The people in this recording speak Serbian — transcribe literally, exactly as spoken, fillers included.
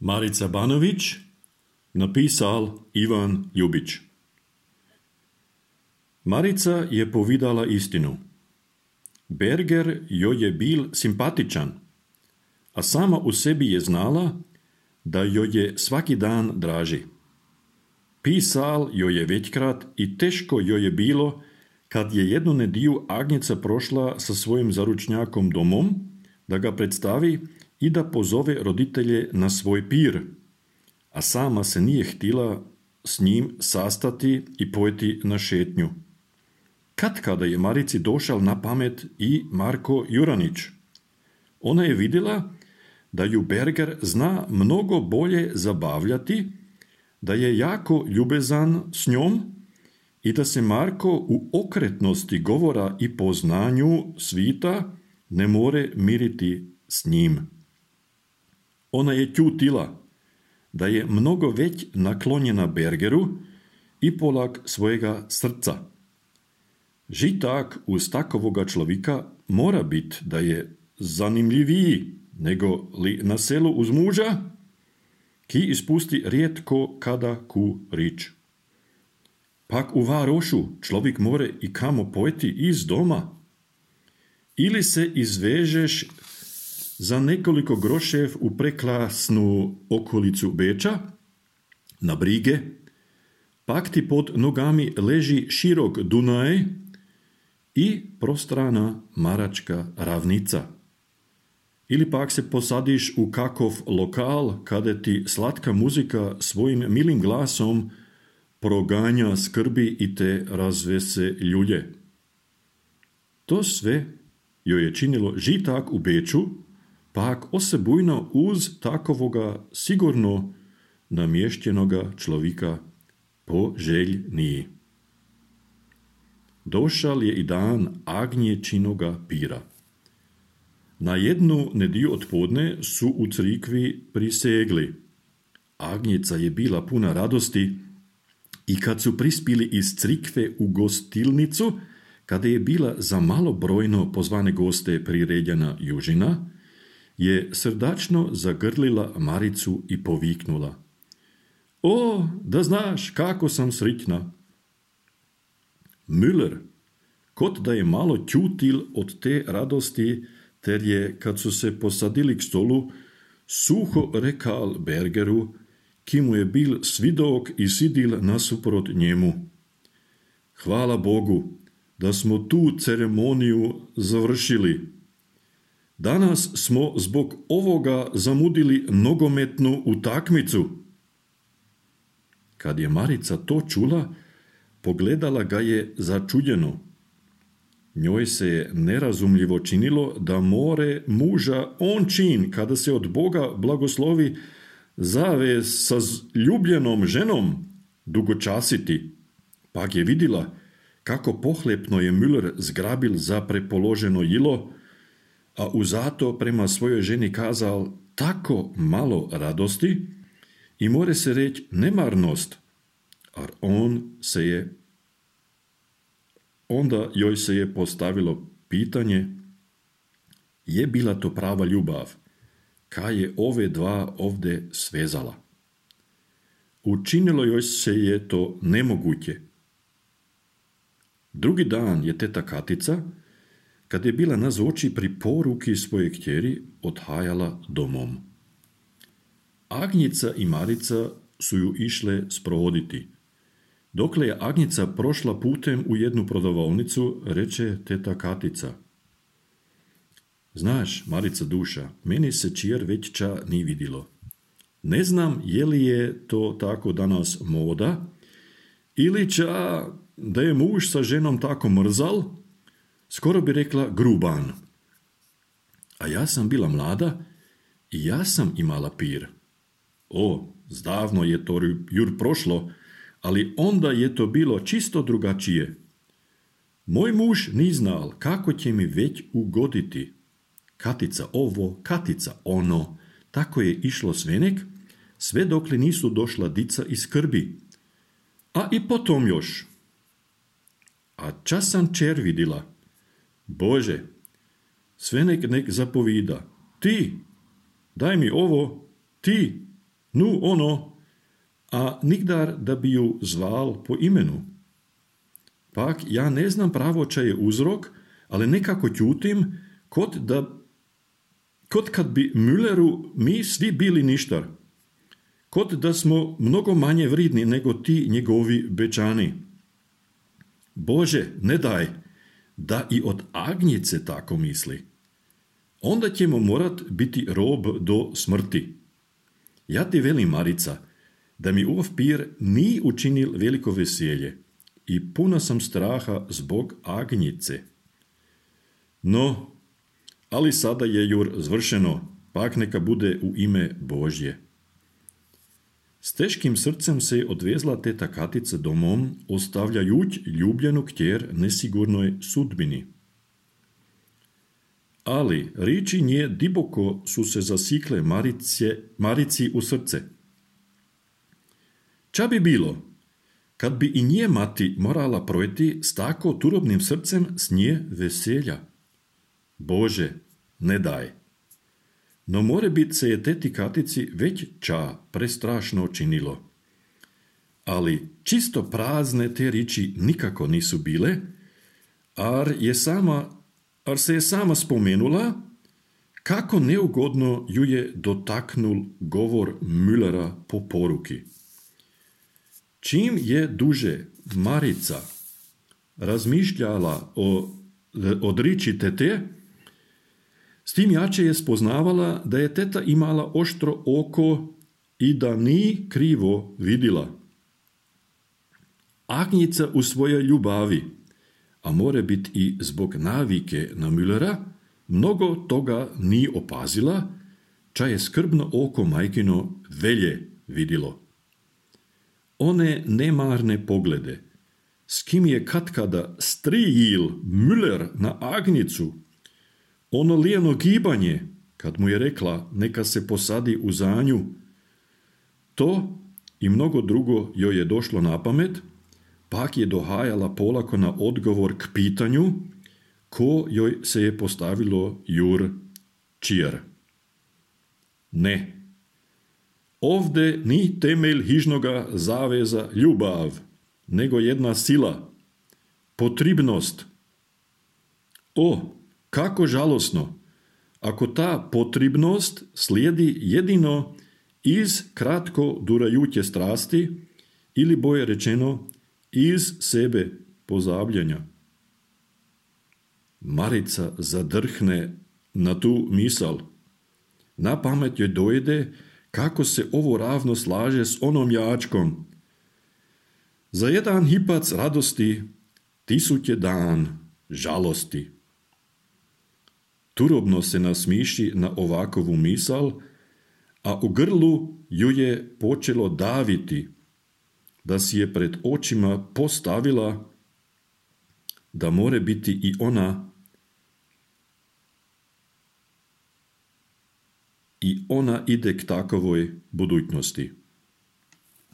Marica Banović, napisal Ivan Ljubić. Marica je povedala istinu. Berger joj je bil simpatičan, a sama u sebi je znala, da joj je svaki dan draži. Pisal joj je većkrat i teško joj je bilo, kad je jednu nediju Agnjeca prošla sa svojim zaručnjakom domom, da ga predstavi i da pozove roditelje na svoj pir, a sama se nije htjela s njim sastati i pojeti na šetnju. Kad kada je Marici došao na pamet i Marko Juranić. Ona je vidjela da ju Berger zna mnogo bolje zabavljati, da je jako ljubezan s njom i da se Marko u okretnosti govora i poznanju svita ne more miriti s njim. Ona je ćutila da je mnogo već naklonjena Bergeru i polak svojega srca. Žitak uz takovoga človika mora biti da je zanimljiviji nego li na selu uz muža, ki ispusti rijetko kada ku rič. Pak u varošu človik more i kamo pojeti iz doma. Ili se izvežeš za nekoliko grošev u preklasnu okolicu Beča, na brige, pak ti pod nogami leži širok Dunaj i prostrana Maračka ravnica. Ili pak se posadiš u kakov lokal, kada ti slatka muzika svojim milim glasom proganja skrbi i te razvese ljulje. To sve joj je činilo žitak u Beču, pak osebujno uz takovoga sigurno namještenoga človika poželjniji. Došal je i dan Agnječinoga pira. Na jednu nediju odpodne su u crikvi prisegli. Agnjeca je bila puna radosti i kad su prispili iz crikve u gostilnicu, kada je bila za malobrojno pozvane goste priredjena južina, je srdačno zagrlila Maricu i poviknula. O, da znaš kako sam sritna! Müller, kot da je malo ćutil od te radosti, ter je, kad su se posadili k stolu, suho rekal Bergeru, ki mu je bil svidok i sidil nasuprot njemu. Hvala Bogu, da smo tu ceremoniju završili. Danas smo zbog ovoga zamudili nogometnu utakmicu. Kad je Marica to čula, pogledala ga je začuđeno. Njoj se je nerazumljivo činilo da more muža on čin, kada se od Boga blagoslovi zave sa ljubljenom ženom dugočasiti. Pak je vidjela kako pohlepno je Müller zgrabil za prepoloženo jilo, a uzato prema svojoj ženi kazal tako malo radosti i more se reći nemarnost, a on se je Onda joj se je postavilo pitanje, je bila to prava ljubav, kaj je ove dva ovdje svezala. Učinilo joj se je to nemoguće. Drugi dan je teta Katica, kad je bila nazoči pri poruki svoje kćeri, odhajala domom. Agnjica i Marica su ju išle sprovoditi. Dokle je Agnjica prošla putem u jednu prodavaonicu, reče teta Katica. Znaš, Marica duša, meni se čijer već ča ni vidilo. Ne znam je li je to tako danas moda, ili ča da je muž sa ženom tako mrzal, skoro bi rekla gruban. A ja sam bila mlada i ja sam imala pir. O, zdavno je to jur prošlo, ali onda je to bilo čisto drugačije. Moj muž ni znal kako će mi već ugoditi. Katica ovo, Katica ono, tako je išlo svenek, sve dokle nisu došla dica iz skrbi. A i potom još. A čas sam čer vidila. Bože, svenek nek zapovida. Ti, daj mi ovo, ti, Nu ono, a nikdar da bi ju zval po imenu. Pak ja ne znam pravo čaj je uzrok, ali nekako ćutim, kot da kot kad bi Mülleru mi svi bili ništar. Kot da smo mnogo manje vridni nego ti njegovi bečani. Bože, ne daj, da i od Agnjice tako misli. Onda ćemo morat biti rob do smrti. Ja ti velim, Marica, da mi ov pir ni učinil veliko veselje i puna sam straha zbog Agnjice. No, ali sada je jur zvršeno, pak neka bude u ime Božje. S teškim srcem se je odvezla teta Katica domom, ostavljajuć ljubljenu kćer nesigurnoj sudbini. Ali riči nje diboko su se zasikle Marice, Marici u srce. Ča bi bilo, kad bi i nje mati morala projeti s tako turobnim srcem s nje veselja? Bože, ne daj. No more bit se je teti Katici već ča prestrašno činilo. Ali čisto prazne te riči nikako nisu bile, ar, je sama, ar se je sama spomenula kako neugodno ju je dotaknul govor Müllera po poruki. Čim je duže Marica razmišljala o odriči tete, s tim jače je spoznavala da je teta imala oštro oko i da ni krivo vidila. Agnjica u svojoj ljubavi, a more biti i zbog navike na Müllera, mnogo toga ni opazila, ča je skrbno oko majkino velje vidilo. One nemarne poglede, s kim je katkada strijil Müller na Agnjicu, ono lijeno gibanje, kad mu je rekla neka se posadi u zanju, to i mnogo drugo joj je došlo na pamet, pak je dohajala polako na odgovor k pitanju, ko joj se je postavilo jur čir. Ne. Ovde ni temelj hižnoga zaveza ljubav, nego jedna sila, potribnost. O, kako žalosno, ako ta potribnost slijedi jedino iz kratko durajuće strasti ili boje rečeno iz sebe pozabljanja. Marica zadrhne na tu misal. Na pamet joj dojde kako se ovo ravno slaže s onom jačkom. Za jedan hipac radosti tisuće dan žalosti. Turobno se nasmiši na ovakovu misal, a u grlu ju je počelo daviti, da si je pred očima postavila da more biti i ona i ona ide k takovoj budućnosti.